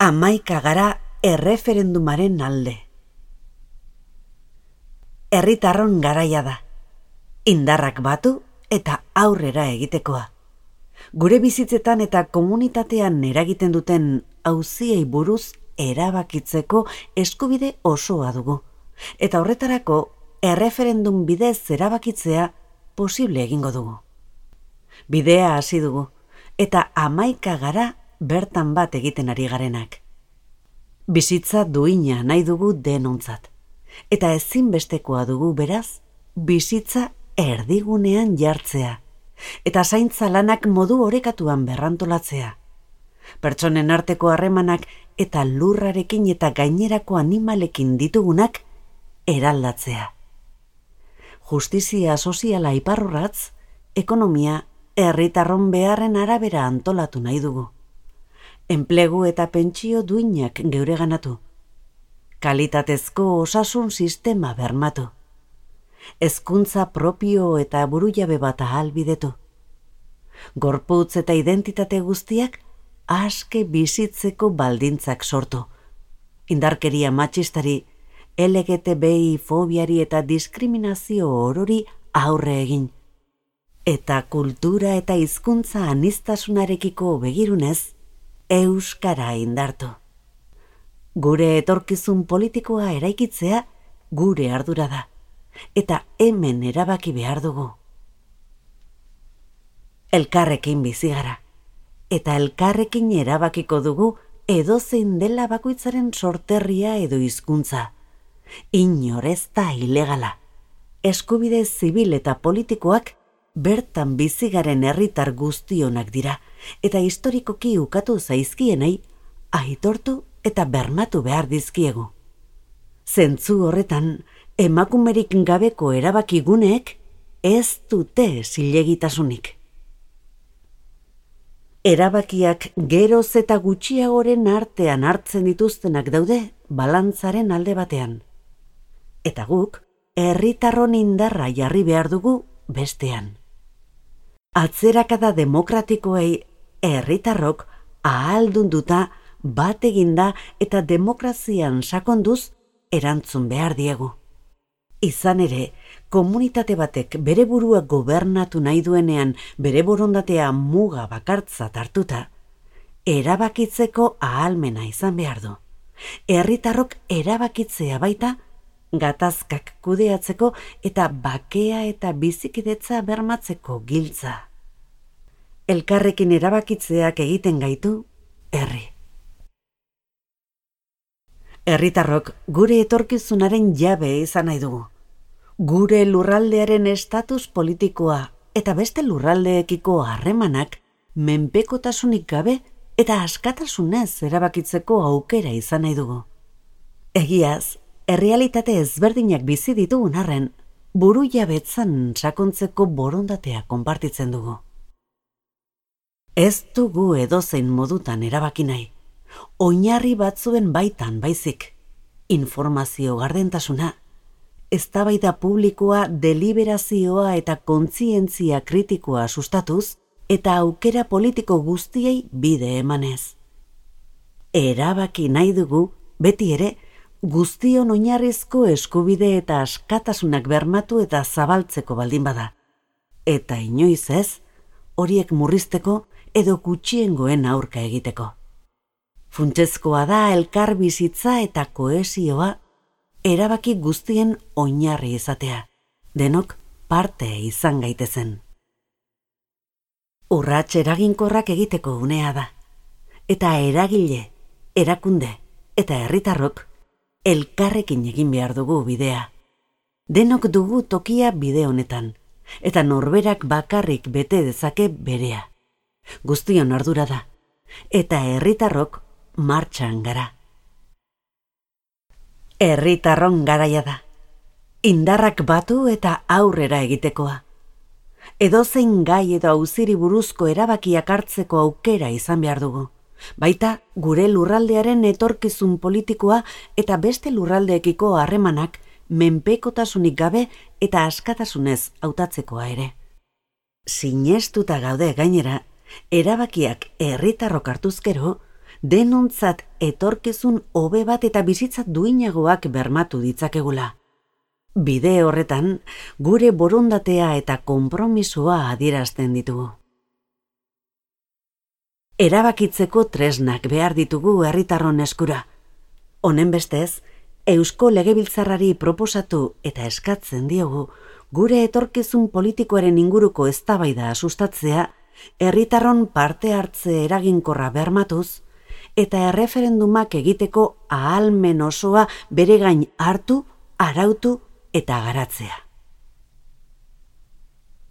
11 gara erreferendumaren alde. Herritarron garaia da. Indarrak batu eta aurrera egitekoa. Gure bizitzetan eta komunitatean eragiten duten auziei buruz erabakitzeko eskubide osoa dugu. Eta horretarako erreferendum bidez erabakitzea posible egingo dugu. Bidea hasi dugu eta 11 gara bertan bat egiten ari garenak. Bizitza duina nahi dugu denontzat. Eta ezinbestekoa dugu beraz, bizitza erdigunean jartzea. Eta zaintza lanak modu orekatuan berrantolatzea. Pertsonen arteko harremanak eta lurrarekin eta gainerako animalekin ditugunak eraldatzea. Justizia soziala iparrorratz, ekonomia herritarron beharren arabera antolatu nahi dugu. Enplegu eta pentsio duinak geureganatu. Kalitatezko osasun sistema bermatu. Hezkuntza propio eta burujabe bat ahalbidetu. Gorputz eta identitate guztiak aske bizitzeko baldintzak sortu. Indarkeria matxistari, LGTBI fobiari eta diskriminazio orori aurre egin. Eta kultura eta hizkuntza aniztasunarekiko begirunez, euskara indartu. Gure etorkizun politikoa eraikitzea gure ardura da, eta hemen erabaki behar dugu. Elkarrekin bizi gara, eta elkarrekin erabakiko dugu edozein dela bakoitzaren sorterria edo hizkuntza. Inor ez da ilegala. Eskubide zibil eta politikoak bertan bizigaren herritar guztionak dira, eta historikoki ukatu zaizkienei aitortu eta bermatu behar dizkiegu. Zentzu horretan, emakumerik gabeko erabakiguneek ez dute zilegitasunik. Erabakiak geroz eta gutxiagoren artean hartzen dituztenak daude balantzaren alde batean. Eta guk, herritarron indarra jarri behar dugu bestean. Atzerakada demokratikoei herritarrok ahaldunduta bat eginda eta demokrazian sakonduz erantzun behar diegu. Izan ere, komunitate batek bere burua gobernatu nahi duenean bere borondatea muga bakartzat hartuta, erabakitzeko ahalmena izan behar du. Herritarrok erabakitzea baita, gatazkak kudeatzeko eta bakea eta bizikidetza bermatzeko giltza. Elkarrekin erabakitzeak egiten gaitu herri. Herritarrok gure etorkizunaren jabe izan nahi dugu. Gure lurraldearen estatus politikoa eta beste lurraldeekiko harremanak menpekotasunik gabe eta askatasunez erabakitzeko aukera izan nahi dugu. Egiaz, errealitate ezberdinak bizi ditugun arren, burujabetzan sakontzeko borondatea konpartitzen dugu. Ez dugu edozein modutan erabaki nahi, oinarri batzuen baitan baizik, informazio gardentasuna, eztabaida publikoa, deliberazioa eta kontzientzia kritikoa sustatuz, eta aukera politiko guztiei bide emanez. Erabaki nahi dugu, beti ere, guztion oinarrizko eskubide eta askatasunak bermatu eta zabaltzeko baldin bada. Eta inoiz ez, horiek murrizteko edo gutxiengoen aurka egiteko. Funtsezkoa da elkar bizitza eta kohesioa erabaki guztien oinarri izatea, denok parte izan gaitezen. Urrats eraginkorrak egiteko unea da, eta eragile, erakunde eta herritarrok elkarrekin egin behar dugu bidea. Denok dugu tokia bide honetan, eta norberak bakarrik bete dezake berea. Guztion ardura da, eta herritarrok martxan gara. Herritarron garaia da. Indarrak batu eta aurrera egitekoa. Edozein gai edo auziri buruzko erabakiak hartzeko aukera izan behar dugu. Baita gure lurraldearen etorkizun politikoa eta beste lurraldeekiko harremanak menpekotasunik gabe eta askatasunez hautatzekoa ere. Sinestuta gaude gainera, erabakiak herritarrok hartuz gero, denontzat etorkizun hobe bat eta bizitza duinagoak bermatu ditzakegula. Bide horretan, gure borondatea eta konpromisoa adierazten ditugu. Erabakitzeko tresnak behar ditugu herritarron eskura. Honen bestez, Eusko Legebiltzarrari proposatu eta eskatzen diogu gure etorkizun politikoaren inguruko eztabaida sustatzea, herritarron parte hartze eraginkorra bermatuz, eta erreferendumak egiteko ahalmen osoa bere gain hartu, arautu eta garatzea.